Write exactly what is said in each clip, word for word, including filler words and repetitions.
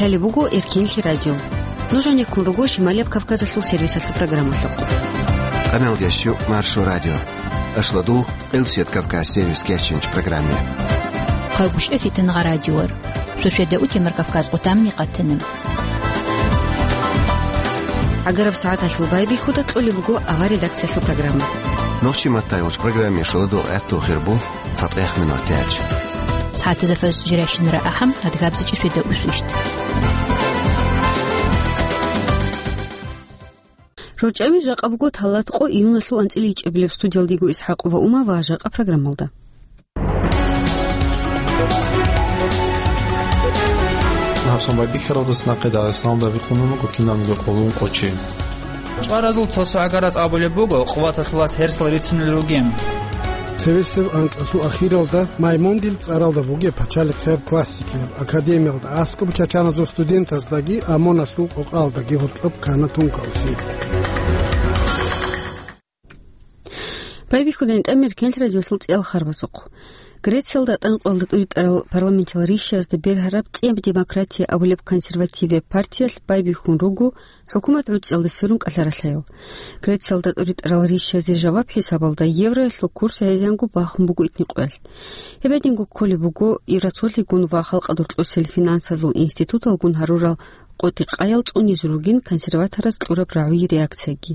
Лъалеб буго Эркенлъи радио. Нуж гьанеккун руго Шималияб Кавказалъул сервисалъул программалъухъ. Къаналдящу Маршо радио. Ашладу Элсият Кавказ сервис керченч программе. Хъагушев Фитнагъа радиор. Суседа утемар Кавказ къутамни къатанам. Агараб сагӀаталъул байбихьуда кьолеб буго авар редакциялъул программа. Нохчи матайулч программе шоладул гӀатту хирбу. ЦатӀех минутаялъ. СагӀатазда фажр жирайщинара ахӀам, адгабзичӀи светда усвищ. РорчӀами жакъа буго талат къо июналъул анцӀила ичӀабилеб. Студиялдего ИсхӀакъ ва Ума ва жакъа программалда. Гьабсун байбихьаралдас нахъе Дагъистаналда бихъунун буго кинабниги къулун къочи. ЧӀваразул цо-цо гӀагараз абулеб буго, къуваталъулас гьерсал рицунел ругин. Цевесев анкьалъул ахиралда Маймондил цӀаралда бугеб пачалихъеб классикияб академиялда аскӀоб чачаназул студентаздаги ОМОНалъул къокъалдаги гьоркьоб ккана тункаусел. Байбихьудайин тӀамер кенлъ радиолъул цӀел харбазухъ. Грециялда тӀанкъоялда тӀуритӀарал парламентиял ришшазда бергьараб цӀияб демократия абулеб консервативияб партиялъ байбихьун руго хӀукумат гӀуцӀиялда сверун кӀалъаралъаял. Грециялда тӀуритӀарал ришшазе жаваб хӀисабалда евроялъул курс гӀезегӀанго бахун буго итникъоялъ. Гьеб гьединго кколеб буго Евросолъигун ва халкъалда гьоркьосел финансазул институталгун гьарурал къотӀи-къаял цӀунизе ругин консерватораз кьураб рагӀуе реакцияги.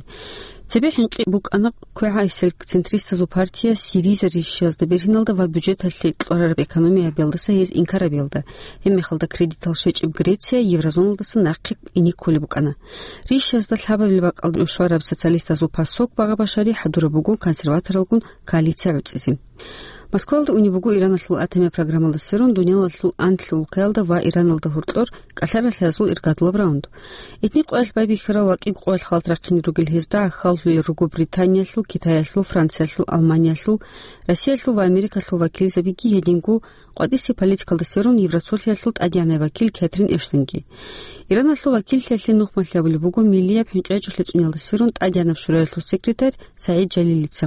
Цебе хӀинкъи букӀана квегӀайсел центристазул партия СИРИЗА ришшазда бергьиналда ва бюджеталъе кьварараб экономия гьабиялдаса гьез инкар гьабиялда, гьебмехалда кредитал щвечӀеб Греция еврозоналдаса нахъе ине кколеб букӀана. Ришшазда лъабабилеб бакӀалде ушараб социалистазул ПАСОК Багъа Башари хӀадураб буго консерваторалгун коалиция гӀуцӀизе. Москвалда унеб буго Ираналъул атомияб программалда сверун дуниялалъул анлъго улкаялда ва Ираналда гьоркьор кӀалъаралъиязул иргадулаб раунд. Итни къоялъ байбихьарал ва кӀиго къоялъ халат рахъине ругел гьезда гӀахьаллъулел руго Британиялъул, Китаялъул, Франциялъул, Алманиялъул, Россиялъул ва Америкалъул вакилзабиги, гьединго къватӀисе политикалда сверун Евросолъиялъул тӀадегӀанай вакил Кэтрин Эштонги. Ираналъул вакиллъиялъе нухмалъи абулеб буго миллияб хӀинкъи гьечӀолъи цӀуниялда сверун ТӀадегӀанаб шураялъул секретарь СагӀид Жалилица.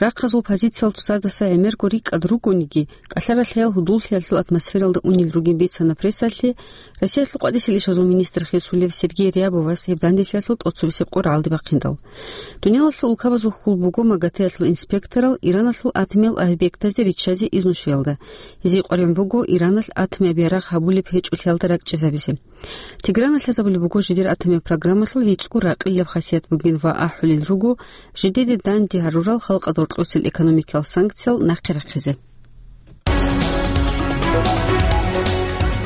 Рахъазул позициял цоцаздаса гӀемерго рикӀкӀад ругониги, кӀалъаралъаял гьудуллъиялъул атмосфералда унел ругин бицана прессалъе Россиялъул къватӀисел ишазул министр хисулев Сергей Рябовас гьеб данделъиялъул тӀоцебесеб къо рагӀалде бахъиндал. Дуниялалъул улкабазул хьул буго МАГАТЭялъул инспекторал Ираналъул атомиял объектазде риччазе изну щвеялда. Гьезие къваригӀун буго Ираналъ атомияб ярагъ гьабулеб гьечӀолъиялда ракӀчӀезабизе. Тегран лъазабулеб буго жидер атомияб программалъул гьечӀого ракъилаб хасият бугин ва ахӀулел руго жидеде данде гьарурал халкъалда гьоркьосел экономикиял санкциял нахъе рахъизе.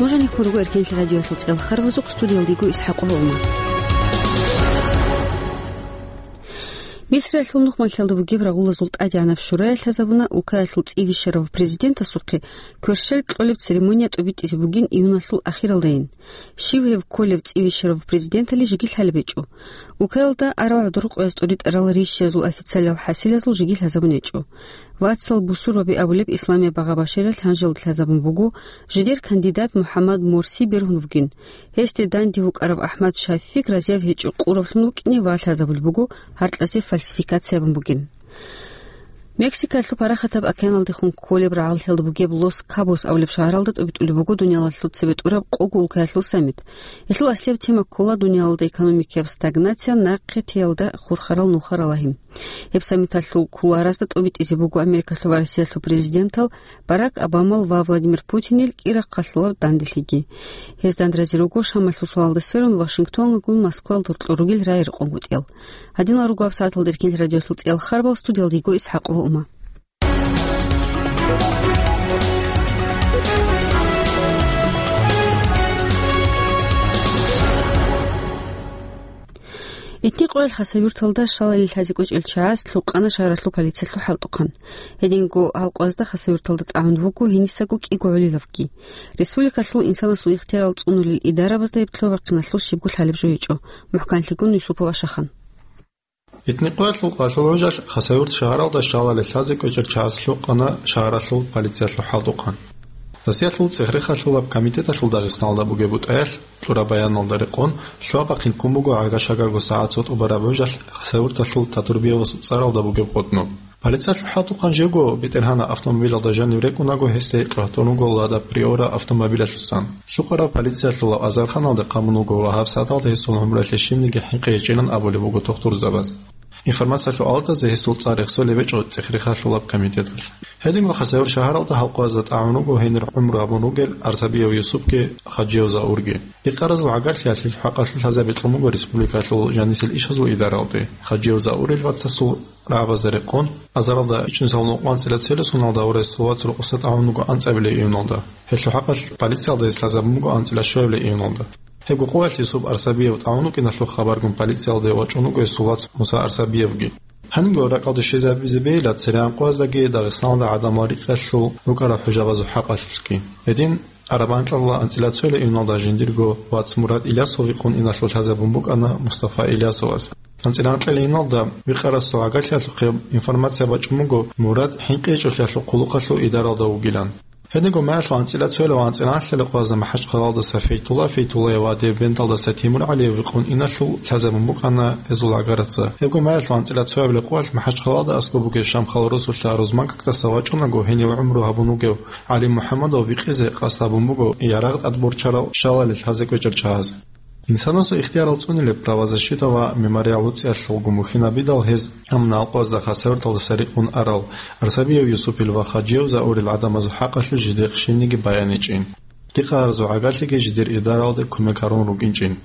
Нуж гьанеккун руго Эркенлъи радиоялъул цӀел харбазухъ, студиялда йиго ИсхӀакъ Гьолма. Мисриялъул нухмалъиялда бугеб рагъулазул тӀадегӀанаб шурая лъазабуна улкаялъул цӀивищарав президентасухъе кверщел кьолеб церемония тӀубитӀизе бугин июналъул ахиралдайин. Щив гьев кколев цӀивищарав президентали жеги лъалеб гьечӀо. Улкаялда арал гӀодор къояз тӀуритӀарал ришшазул официалиял хӀасилазул жеги лъазабун гьечӀо. Вацал бусурбаби абулеб Исламияб Багъа Баширалъ гьанжелда лъазабун буго жидер кандидат МухӀаммад Морси бергьун вугин. Гьесде данде вукӀарав АхӀмад Шафик разияв гьечӀо къуравлъун вукӀине ва лъазабулеб буго гьаркьазе фальсификациябун бугин. Мексикалъул Парахатаб океаналдехун кколеб рагӀаллъиялда бугеб Лос-Кабос абулеб шагьаралда тӀубитӀулеб буго дуниялалъул цебетӀураб къого улкаялъул саммит. Гьелъул аслияб тема ккола дуниялалда экономикияб стагнация, нахъе теялда хурхарал нухарал лагьи. Гьеб саммиталъул кулуаразда тӀубитӀизе буго Америкалъул ва Россиялъул президентал Барак Обамал ва Владимир Путинил кӀира хъалъулаб данделъиги. Гьез дандразе руго Шамалъул суалда сверун Вашингтонгун Москвал дуркьу ругел рай рекъонгутӀиял. Гьадинал руго гьабсагӀаталда Эркенлъи радиолъул цӀиял харбал, студиялда йиго ИсхӀакъ ва Ума. Итни къоял Хасавюрталда шалали лъазе кӀвечӀел чагӀаз лъукъана шагьаралъул полициялъул хӀалтӀухъан. Гьединго гьал къоязда Хасавюрталда тӀагӀун вуго гьенисаго кӀиго гӀолилавги. Республикалъул инсанасул ихтиярал цӀунулел идарабазда гьеб лъугьа-бахъиналъул щибго лъалеб жо гьечӀо. МухӀканлъигун Юсупова Шахан. Итни къоялъул къалъул гӀужалъ Хасавюрт шагьаралда шалали лъазе кӀвечӀел чагӀаз лъукъана шагьаралъул полициялъул хӀалтӀухъан. Россиялъул цӀехрехалъулаб комитеталъул Дагъистаналда бугеб бутӀаялъ кьураб баяналда рекъон, лъугьа-бахъин ккун буго гӀага-шагаго сагӀат цо тӀубараб гӀужалъ Хасавюрталъул Татурбиевасул цӀаралда бугеб къотӀноб. Полициялъул хӀалтӀухъан жего БетӀергьанаб автомобилалда жанив рекӀунаго, гьесде кьватун руго Лада Приора автомобилалъусан. Лъукъараб полициялъул азарханалде хъамун вуго ва гьабсагӀаталда гьесул гӀумруялъе щибниги хӀинкъи гьечӀилан абулеб буго тухтурзабаз. Информациялъул алдазе гьесул цӀар рехсолеб гьечӀо ЦӀехрехалъулаб комитеталъ. Гьединго Хасавюрт шагьаралда гьал къоязда тӀагӀун руго, гьенир гӀумру гьабун ругел Арсабиев Юсупги Хаджиев Заурги. Рикъаразул гӀагарлъиялъе хӀакъалъулъ лъазаби кьун буго республикалъул жанисел ишазул идаралде. Хаджиев Заурил вацасул рагӀабазда рекъон, азаралда ичӀнусал нукъ анцӀила цоял соналда ва гьесул вац рокъоса тӀагӀун руго анцӀабилеб июналда. Гьелъул хӀакъалъ полициялда гьес лъазабун буго анцӀила щуабилеб июналда. Гьебго къоялъ Юсуп Арсабиев тӀагӀун вукӀиналъул хабаргун полициялде вачӀун вуго гьесул вац Муса Арсабиевги. Гьанибго ракӀалде щвезабизе бегьила церегӀан къояздаги Дагъистаналда гӀадамал рикъалъул рукӀарал хӀужабазул хӀакъалъулъги. Гьедин араб анкьабилеб анцӀила цоял июналда жиндирго вац Мурад Илясов вихъун иналъул лъазабун букӀана Мустафа Илясовас. АнцӀила анкьабилеб июналда вихъарасул гӀагарлъиялъухъе информация бачӀун буго Мурад хӀинкъи гьечӀолъиялъул хъулухъалъул идаралда вугилан. Гьединго маялъул анцӀила цоял ва анцӀила анлъабилеб къоязда МахӀачхъалалда Фейтулла Фейтуллаев ва Дербенталда Сатимур ГӀалиев вихъун иналъул лъазабун букӀана гьезул гӀагарлъиялъ. Гьебго маялъул анцӀила цоябилеб къоялъ МахӀачхъалалда аскӀоб бугеб Шамхал росулъа Рузманкакдаса вачӀунаго гьенив гӀумру гьабун вугев ГӀали МухӀамадов викъизе къасд гьабун буго ярагъ тӀадборчарал щалалил лъазе кӀвечӀел чагӀаз. Инсанасул ихтиярал цӀунилеб правозащита ва мемориал луцӀиялъулго мухьинабидал гьез амма алкъоязда Хасавюрталдаса рикъун арал Арсабиев Юсупил ва Хаджиев Заурил гӀадамазул хӀакъалъулъ жидехъ щибниги баяничӀин. Рикъаразул гӀагарлъиги жидер идаралде кумек гьарун рукӀинчӀин.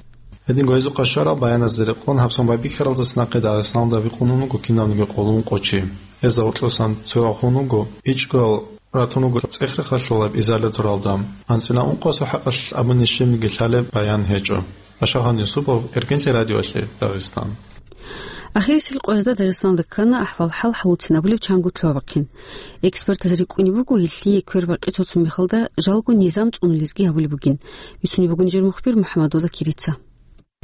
Гьединго гьезухъа щварал баяназда рекъон гьабсагӀат байбихьаралдаса нахъе Дагъистаналда вихъун вуго кинавниги къулун къо чи. Гьезда гьоркьосан цояв хун вуго ичӀго ратун вуго ЦӀехрехалъулаб изоляторалда. АнцӀила ункъоясул хӀакъалъулъ абуни щибниги лъалеб баян гьечӀо. Ашагьан Юсупов, Эркенлъи радиоялъе, Дагъистан. Ахирисел къоязда Дагъистаналда ккана ахӀвал-хӀал хӀалуцин абулеб чанго лъугьа-бахъин. Экспертаз рикӀкӀунеб буго, гьелъие квербакъи цоцун мехалда жалго низам цӀунулезги гьабулеб бугин. Бицунеб буго нижер мухбир МухӀаммадулла Кирица.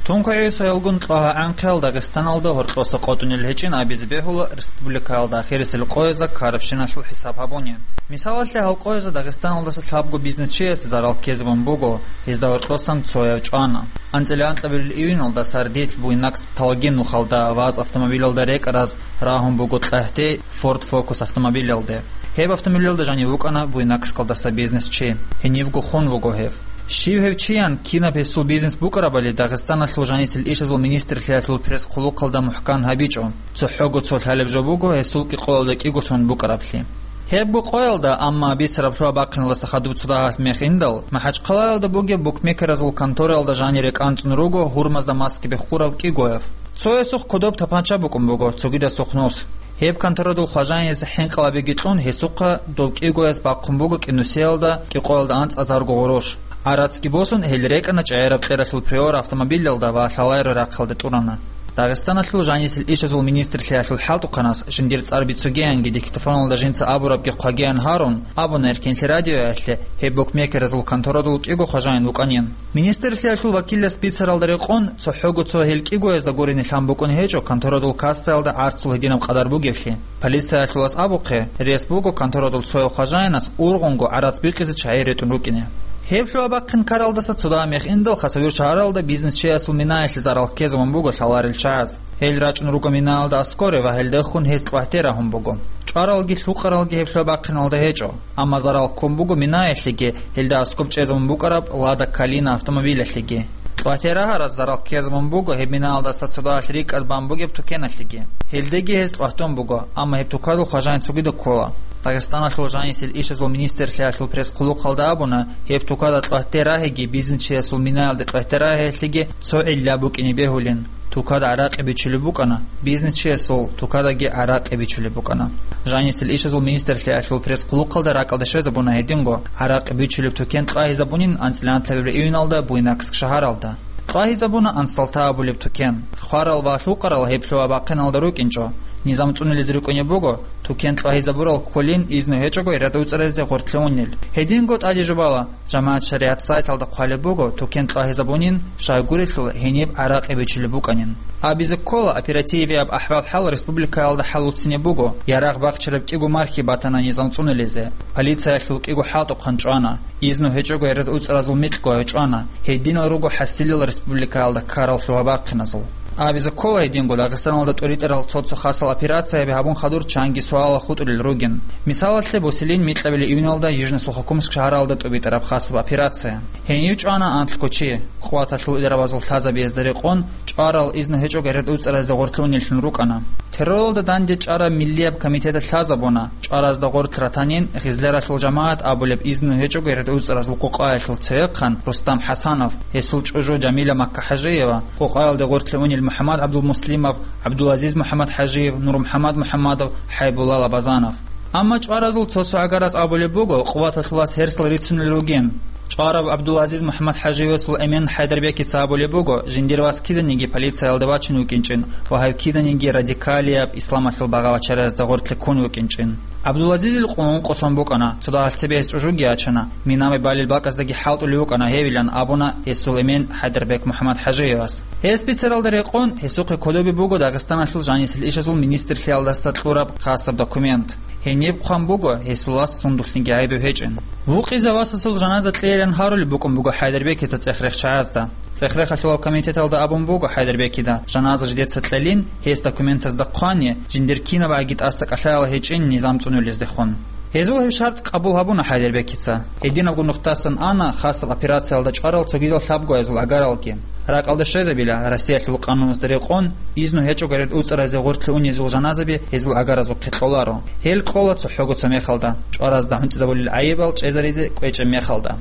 Тунквей гӀисаялгун лъугьа-гӀанхъиял Дагъистаналда гьоркьоса къотӀунел гьечӀин абизе бегьула республикаялда ахирисел къоязда ккарабщиналъул хӀисаб гьабуни. Мисалалъе, гьал къоязда Дагъистаналдаса лъабго бизнесчиясе зарал ккезабун буго, гьезда гьоркьосан цояв чӀвана. АнцӀила анкьабилеб июналда Сардил, Буйнакск, Талгин нухалда ВАЗ автомобилалда рекӀараз рагьун буго кьагьтей Ford Focus автомобилалде. Гьеб автомобилалда жанив вукӀана Буйнакскалдаса бизнесчи. Гьенивго хун вуго гьев. Щив гьев чиян, кинаб гьесул бизнес букӀарабали Дагъистаналъул жанисел ишазул министрлъиялъул пресс-хъулухъалда мухӀкан гьабичӀо. ЦохӀого цо лъалеб жо буго гьесул кӀикъоялда кӀиго сон букӀараблъи. Гьебго къоялда, амма бицараб лъугьа-бахъиналдаса хадуб цо дагьалъ мех индал, МахӀачхъалаялда бугеб букмекеразул контораялда жанир рекӀанцӀун руго гьурмазда маски беххурав кӀигояв. Цо гьесухъ кодоб тапанча букӀун буго, цогидасухъ нус. Гьеб конторадул хважаинас хӀинкъи-лъабиги кьун, гьесухъа дов кӀигояс бахъун буго кӀинусиялда кӀикъоялда анцӀазарго гъурущ. ГӀарацги босун, гьел рекӀана ЧӀегӀераб кьералъул Приора автомобилалда ва лъаларо рахъалде тӀурана. Дагъистаналъул жанисел ишазул министрлъиялъул хӀалтӀухъанас жиндир цӀар бицугеянги диктофоналда жинца абурабги хъвагеян гьарун, абуна Эркенлъи радиоялъе гьеб букмекеразул конторадул кӀиго хважаин вукӀанин. Министрлъиялъул вакилас бицаралда рекъон, цохӀого цо гьел кӀигоязда гурони лъан букӀун гьечӀо конторадул кассаялда гӀарцул гьединаб къадар бугевлъи. Полициялъулас абухъе, рес буго конторадул цояв хважаинас ургъунго гӀарац бикъизе чагӀи ретӀун рукӀине. Гьеб лъугьа-бахъин ккаралдаса цо дагьа мех индал Хасавюрт шагьаралда бизнесчиясул минаялъе зарал ккезабун буго лъаларел чагӀаз. Гьел рачӀун руго минаялда аскӀоре ва гьелдехун гьез кьвагьте рагьун буго. ЧӀваралги лъукъаралги гьеб лъугьа-бахъиналда гьечӀо, амма зарал ккун буго минаялъеги, гьелда аскӀоб чӀезабун букӀараб Лада Калина автомобилялъеги. Кьвагьте рагьарас зарал ккезабун буго гьеб минаялдаса цо дагьалъ рикӀкӀад бан бугеб тукеналъеги. Гьелдеги гьез кьвагьтун буго, амма гьеб тукадул хважаин цогидаб ккола. Дагъистаналъул жанисел ишазул министрлъиялъул пресс-хъулухъалда абуна, гьеб тукада кьвагьте рагьиги бизнесчиясул минаялде кьвагьте рагьиялъеги цо гӀилла букӀине бегьулин. Тукада гӀаракъи бичулеб букӀана, бизнесчиясул тукадаги гӀаракъи бичулеб букӀана. Жанисел ишазул министрлъиялъул пресс-хъулухъалда ракӀалде щвезабуна гьединго, гӀаракъи бичулеб тукен кьвагьизабунин анцӀила анлъабилеб июналда Буйнакск шагьаралда. Кьвагьизабуна Ансалта абулеб тукен. Хварал ва лъукъарал гьеб лъугьа-бахъиналда рукӀинчӀо. Низам цӀунулез рукӀунеб буго, тукен кьвагьизабурал кколин, изну гьечӀого гӀирад уцӀаразде гъоркье унел. Гьединго тӀаде жубала, ЖамагӀат Шаригьат сайталда хъвалеб буго, тукен кьвагьизабунин, щайгурелъул гьениб гӀаракъи бичулеб букӀанин. Абизе ккола, оперативияб ахӀвал-хӀал республикаялда хӀалуцинеб буго, ярагъ бахчараб кӀиго мархи батана низам цӀунулезе. Полициялъул кӀиго хӀалтӀухъан чӀвана. Изну гьечӀого гӀирад уцӀаразул микьго гьечӀвана, гьединал руго хӀасилел республикаялда ккарал лъугьа-бахъиназул. Абизе ккола гьединго Дагъистаналда тӀуритӀарал цо-цо хасал операцияби гьабун хадур чанги суалал хутӀулел ругин. Мисалалъе, бусилин микьабилеб июналда Южно-Сухокумск шагьаралда тӀубитӀараб хасаб операция. Гьенив чӀвана анлъго чи, къуваталъул идарабазул лъазабиязда рекъон, чӀварал изну гьечӀого гӀеред уцӀаразде гъорлъе унеллъун рукӀана. Терроралда данде чӀараб миллияб комитеталъ лъазабуна, чӀваразда гъорлъ ратанин Гъизляралъул жамагӀат абулеб изну гьечӀого гӀеред уцӀаразул къокъаялъул цевехъан Рустам ХӀасанов, гьесул чӀужу Жамила Макка-ХӀажиева, къокъаялде гъорлъе унел МухӀаммад ГӀабдулмуслимов, ГӀабдулазиз МухӀаммад-ХӀажиев, Нурмухьаммад МухӀаммадов, ХӀайбулла Лабазанов. Амма чӀваразул цо-цо гӀагараз абулеб буго, къуваталъулас гьерсал рицунел ругин. ЧӀварав ГӀабдулазиз МухӀаммад-ХӀажиевасул эмен ХӀайдарбекица абулеб буго, жиндир вас киданиги полициялда вачун вукӀинчӀин ва гьев киданиги радикалияб исламалъул багъа-бачаразда гъорлъе ккун вукӀинчӀин. ГӀабдулазизил къуллъун къосун букӀана, цо дагьалъ цебе гьес чӀужуги ячана, минаби балел бакӀаздаги хӀалтӀулев вукӀана гьевилан абуна гьесул эмен ХӀайдарбек МухӀаммад-ХӀажиевас. Гьес бицаралда рекъон, гьесухъе кодобе буго Дагъистаналъул жанисел ишазул министрлъиялдаса кьураб хасаб документ. Гьениб хъван буго, гьесул вас сундулъниги гӀайиб гьечӀин. Вукъизе васасул жаназа кьейилан гьарулеб букӀун буго ХӀайдарбекица цӀех-рех чагӀазда. ЦӀех-рехалъулаб комитеталда абун буго ХӀайдарбекида, жаназа жидеца кьелин, гьес документазда хъвани, жиндир кинабгӀаги тӀаса кӀалъаял гьечӀин низам цӀунулездехун. Гьезул гьеб шартӀ къабул гьабуна ХӀайдарбекица. Гьединабго нухдасан ана хасаб операциялда чӀварал цогидал лъабгоязул гӀагаралги. РакӀалде щвезабила, Россиялъул къануназда рекъон, изну гьечӀого гӀеред уцӀаразе гъорлъе унезул жаназаби гьезул гӀагаразухъе кьоларо. Гьел кьола цохӀого цо мехалда, чӀваразда гӀунтӀизабулел гӀайибал чӀезаризе кӀвечӀеб мехалда.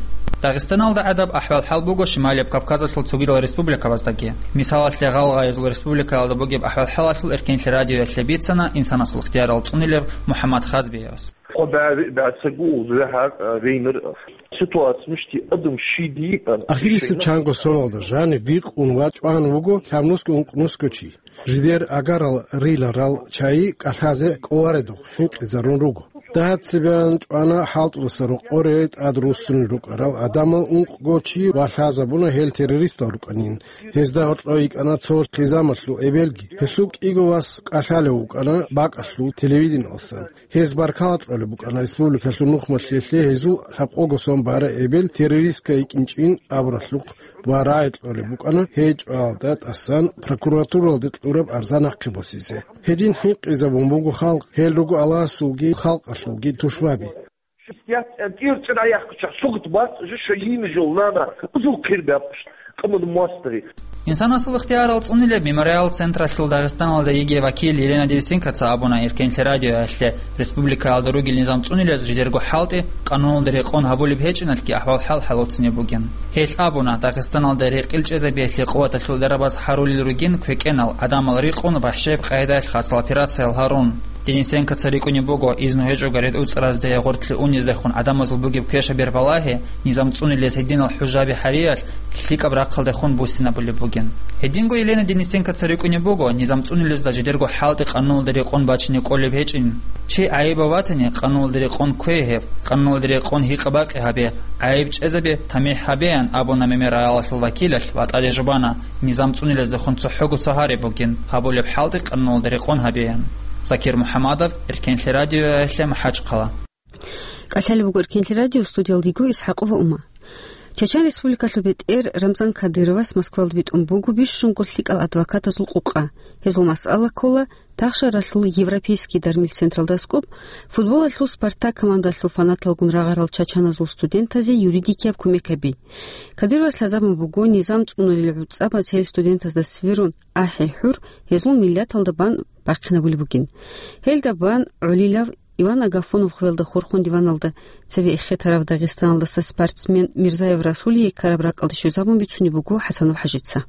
Дагъистаналда гӀадаб ахӀвал-хӀал буго Шималияб Кавказалъул цогидал республикабаздаги. Мисалалъе, Гъалгъаязул республикаялда бугеб ахӀвал-хӀалалъул Эркенлъи радиоялъе бицана инсанасул ихтиярал цӀунилеб МухӀаммад Хазбиевас. Къо бя-, бяцаго узрахӀа рейнер ситуация мишти адам щиди. Ахирисеб чанго соналда жанив вихъун ва чӀван вуго лъабнусго-ункънусго чи. Жидер агарал риларал чагӀи кӀалъазе кӀоларедухъ хӀинкъизарун руго. Дагьаб цебеян чӀвана хӀалтӀуласа рокъоре тӀад руссунел рукӀарал гӀадамал ункъго чи ва лъазабуна гьел террористал рукӀанин. Гьезда гьоркьов йикӀана цо хъизамалъул эбелги. Гьелъул кӀиго вас кӀалъалев вукӀана бакӀалъул телевидениялсан. Гьез баркала кьолеб букӀана республикалъул нухмалъиялъе гьезул лъабкъого сон бара эбел террористка йикӀинчӀин абуралъухъ ва рагӀи кьолеб букӀана гьей чӀваялда тӀасан прокуратуралде кьураб арзан нахъе босизе. Гьедин хӀинкъизабун буго халкъ, гьел руго Аллагьасулги халкъалъулги тушбаби. Шестьдесят, э, тӀир-тӀира яхъачагъ сугъут бацӀ жо шайин жо нана, узул хъир бяпш, къаман мастери. Инсанасул ихтиярал цӀунилеб мемориал централъул Дагъистаналда йигей вакил Елена Денисенкоца абуна Эркенлъи радиоялъе, республикаялда ругел низам цӀунилез жидерго хӀалтӀи, къануналда рекъон гьабулеб гьечӀиналъги ахӀвал-хӀал хӀалуцинеб бугин. Гьелъ абуна, Дагъистаналда рекъил чӀезабиялъе къуваталъул дарабаз гьарулел ругин квекӀенал гӀадамал рикъун бахӀшеб къагӀидаялъ хасал операциял гьарун. Денисенкоца рикӀкӀунеб буго, изну гьечӀого гӀеред уцӀаразде гъортлъи униздехун гӀадамазул бугеб квешаб бербалагьи, низам цӀунилез гьединал хӀужаби гьариялъ лъикӀаб рахъалдехун буссинабулеб бугин. Гьединго Елена Денисенкоца рикӀкӀунеб буго, низам цӀунилезда жидерго хӀалтӀи къануналда рекъон бачине кӀолеб гьечӀин. Чи гӀайибав ватани, къануналда рекъон кквей гьев, къануналда рекъон гьикъа-бакъи гьабе, гӀайиб чӀезабе, тамихӀ гьабеян абуна мемориалалъул вакилалъ ва тӀаде жубана, низам цӀунилездехун цохӀого цагьари бугин, гьабулеб хӀалтӀи къануналда рекъон гьабеян. Закир МухӀаммадов, Эркенлъи радиоялъе, МахӀачхъала. КӀалъалеб буго Эркенлъи радио, студиялдего ИсхӀакъова Ума. Чачан Республикалъул бетӀер Рамзан Кадыровас Москвалда битӀун буго бищунго лъикӀал адвокатазул къукъа. Гьезул масъала ккола тахшаралъул Европейский дармил централда аскӀоб футболалъул Спартак командалъул фанаталгун рагъарал чачаназул студентазе юридикияб кумек гьаби. Кадыровас лъазабун буго низам цӀунулел гӀуцӀабаз гьел студентазда сверун ахӀи-хӀур гьезул миллаталда бан бахъинабулеб бугин. Гьелда бан гӀолилав Иван Агафонов хвелда хурхун диваналда цеве эхетарав Дагъистаналдаса спортсмен Мирзаев Расулие ккараб ракӀалде щвезабун бицунеб буго ХӀасанов ХӀажица.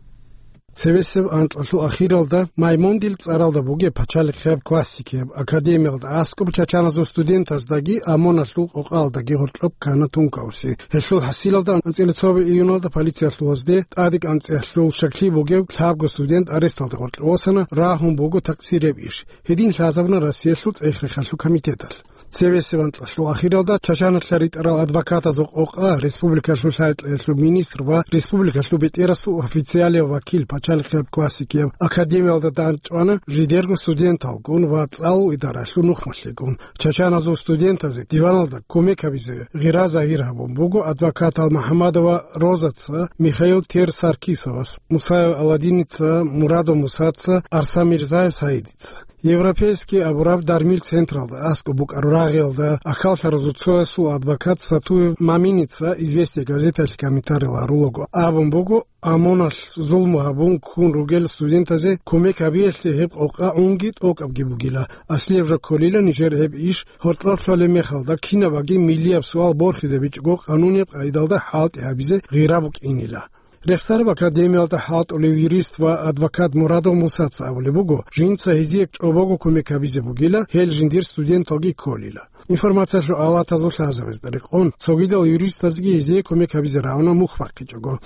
Цевесеб анкьалъул ахиралда Маймондил цӀаралда бугеб пачалихъияб классикияб академиялда аскӀоб чачаназул студентаздаги ОМОНалъул къокъалдаги гьоркьоб ккана тункауси. Гьелъул хӀасилалда анцӀила цо июналда полициялъулазде ТӀадегӀанцӀиялъул щаклъи бугев лъабго студент аресталде гъоркье восана, рагьун буго такъсирияб иш. Гьедин лъазабуна Россиялъул цӀех-рехалъул комитеталъ. Цебесеб анкьалъул ахиралда Чачаналъа ритӀарал адвокатазул къокъа республикалъул лъай-кьеялъул министр ва республикалъул бетӀерасул официалияв вакил, пачалихъияб классикияб академиялда дандчӀвана жидерго студенталгун ва цӀалул идаралъул нухмалъигун. Чачаназул студентазе диваналда кумек гьабизе гъира загьир гьабун буго адвокатал МахӀамадова Розаца, Михаил Тер-Саркисовас, Мусаев Аладдиница, Мурадов Мусаца, Арсамирзаев Саидица. Европейский абураб дармил централда аскӀоб букӀараб рагъиялда ахьаллъаразул цоясул адвокат Сатуев Маминица «Известия» газеталъе комментариял гьарулаго абун буго, ОМОНалъ зулму гьабун ккун ругел студентазе кумек гьабиялъе гьеб къокъа унги тӀокӀабги бугила. Аслияб жо кколила нижер гьеб иш гьоркьоб лъолеб мехалда, кинабаги миллияб суал борхизабичӀого къанунияб къагӀидалда хӀалтӀи гьабизе гъира букӀинила. Рехсараб академиялда хӀалтӀулев юрист ва адвокат Мурадов Мусаца абулеб буго, жинца гьезие чӀобого кумек гьабизе бугила, гьел жиндир студенталги кколила. Информациялъул алатазул лъазабазда рекъон, цогидал юристазги гьезие кумек гьабизе равна мухь бахъичӀого.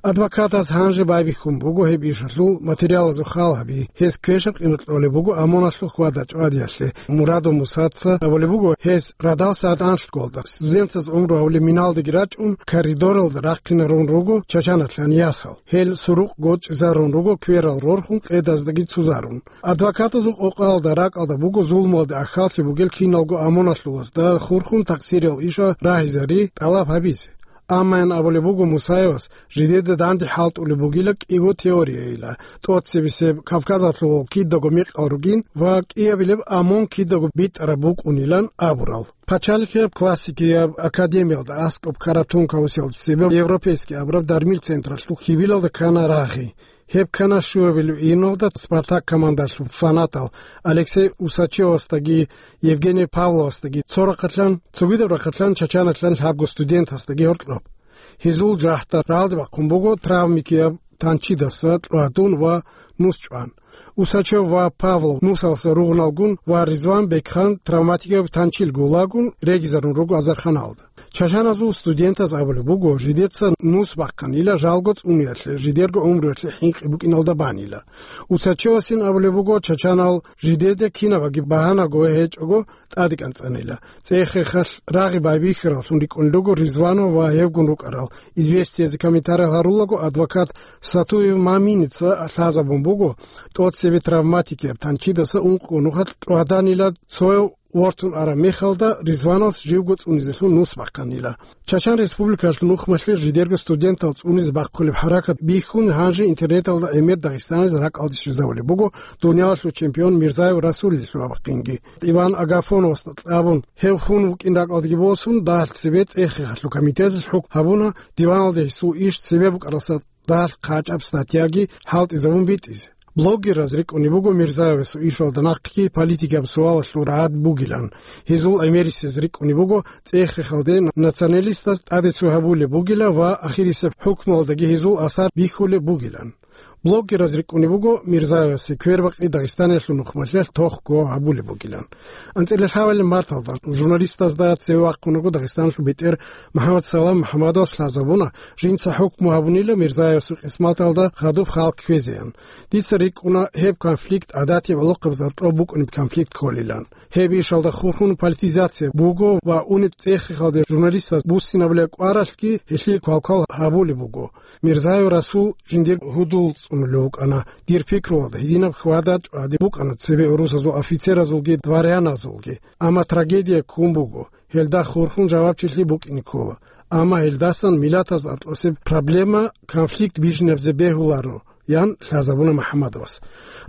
Адвокатаз гьанже байбихьун буго гьеб ишалъул материалазул хал гьаби. Гьес квешаб къимат кьолеб буго ОМОНалъул хьвада-чӀвадиялъе. Мурадов Мусаца абулеб буго, гьес радал сагӀат анлъголда, студентаз гӀумру гьавулеб миналдаги рачӀун, коридоралда рахъинарун руго Чачаналъан ясал. Гьел сурукъ гочӀизарун руго кверал рорхун, къедаздаги цузарун. Адвокатазул къокъаялда ракӀалда буго зулмуялде ахьаллъи бугел киналго ОМОНалъулазда хурхун такъсириял ишал рагьизари тӀалаб гьабизе. Амма ян абулеб буго Мусаевас, жидеда данде хӀалтӀулеб бугила кӀиго теорияйила: тӀоцебесеб Кавказалъул кидаго мекъал ругин ва кӀиабилеб ОМОН кидаго битӀараб букӀунилан абурал. Пачалихъияб классикияб академиялда аскӀоб ккараб тункаусиялда цебе Европейский абураб дармил централъул хьибилалда ккана рагъи. Гьеб ккана щуабилеб июналда Спартак командалъул фанатал Алексей Усачевасдаги Евгений Павловасдаги цо рахъалъан, цогидаб рахъалъан Чачаналъан лъабго студентасдаги гьоркьоб. Гьезул жагьтал рагӀалде бахъун буго травмикияб танчидаса кьвадун ва нус чӀван. Усачев ва Павлов нусалса ругъналгун ва Ризван Бекхан травматикияб танчил гулагун регизарун руго азарханалда. Чачаназул студентаз абулеб буго, жидеца нус бахъанила жалго цӀуниялъе, жидерго гӀумруялъе хӀинкъи букӀиналда банила. Усачевасин абулеб буго, чачанал жидеде кинабаги багьанаго гьечӀого тӀаде кӀанцӀанила. ЦӀех-рехалъ рагъи байбихьараллъун рикӀкӀунел руго Ризванов ва гьевгун рукӀарал. «Известиязе» комментарий гьарулаго адвокат Сатуев Маминица лъазабун буго, тӀоцебе травматикияб танчидаса ункъго нухалъ кьваданила цояв вортун араб мехалда, Ризвановас живго цӀунизелъун нус бахъанила. Чачан Республикалъул нухмалъе жидерго студентал цӀунизе бахъулеб хӀаракат бихьун, гьанже интернеталда гӀемер дагъистанализ ракӀалде щвезавулеб буго дуниялалъул чемпион Мирзаев Расулил лъугьа-бахъинги. Иван Агафоновасда кьабун, гьев хун вукӀин ракӀалдеги босун, дагьалъ цебе ЦӀех-рехалъул комитеталъ хӀукму гьабуна диваналде гьесул иш цебе букӀаралдаса дагьалъ хъачӀаб статьяги хӀалтӀизабун битӀизе. Блогераз рикӀкӀунеб буго Мирзаевасул ишалда нахъги политикияб суалалъул рагӀад бугилан. Гьезул гӀемерисез рикӀкӀунеб буго ЦӀех-рехалде националистаз тӀаде цо гьабулеб бугила ва ахирисеб хӀукмуялдаги гьезул асар бихьулеб бугилан. Блогераз рикӀкӀунеб буго Мирзаевасе квербакъи Дагъистаниялъул нухмалъиялъ тохго гьабулеб бугилан. АнцӀила лъабабилеб марталда журналистазда цеве вахъунаго Дагъистаналъул бетӀер МухӀаммад Салам МухӀаммадовас лъазабуна, жинца хӀукму гьабунила Мирзаевасул къисматалда хадуб халкъ кквезеян. Дица рикӀкӀуна гьеб конфликт гӀадатияб гӀолохъабазда гьоркьоб букӀунеб конфликт кколилан. Гьеб ишалда хурхун политизация буго ва унеб ЦӀех-рехалде журналистаз буссинабулеб кӀваралъги гьелъие квалквал гьабулеб буго. Мирзаев Расул жиндир гьудул цӀунулев вукӀана. Дир пикруялда, гьединаб хьвада-чӀвади букӀана цебе гӀурусазул офицеразулги дворяназулги. Амма трагедия ккун буго, гьелда хурхун жавабчилъи букӀине ккола. Амма гьелдасан миллатаз аркьосеб проблема, конфликт бижинабизе бегьуларо, ян лъазабуна МухӀаммадовас.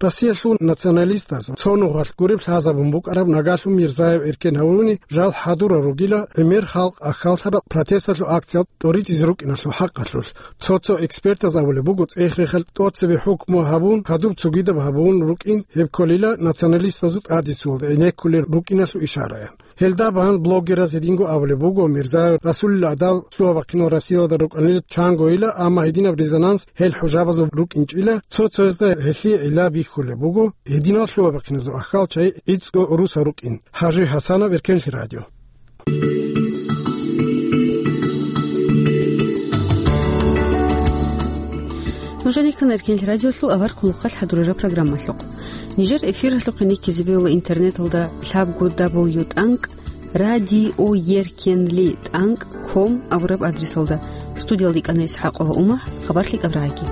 Россиялъул националистаз цо нухалъ гуреб лъазабун букӀараб нагалъун Мирзаев эркен гьавуни жал хӀадурал ругила гӀемер халкъ ахьаллъараб протесталъул акциялда тӀоритӀизе рукӀиналъул хӀакъалъулъ. Цо-цо экспертаз абулеб буго, ЦӀех-рехалъ тӀоцебе хӀукму гьабун, хадуб цогидаб гьабун рукӀин, гьеб кколила националистазул тӀадицуялда гӀенеккулел рукӀиналъул ишараян. Гьелда бан блогераз гьединго абулеб буго, Мирзаев Расулил гӀадал лъугьа-бахъинал Россиялда рукӀанила чангойила, амма гьединаб резонанс гьел хӀужабазул рукӀинчӀила, цо-цоязда гьелъие гӀилла бихьулеб буго, гьединал лъугьа-бахъиназул ахьал чагӀи гӀицӀго гӀурусал рукӀин. ХӀажи ХӀасанов, Эркенлъи радио. Нужер рихьана Эркенлъи радиолъул авар хъулухъалъ хӀадурараб программалъухъ. Нижер эфиралъухъе никкизе бегьула интернеталда лъабго дабл ю тӀанкӀ радиоеркенлитӀанкӀ ком абураб адресалда. Студиялда йикӀана ИсхӀакъова Умагь, хабар лъикӀаб рагӀаги.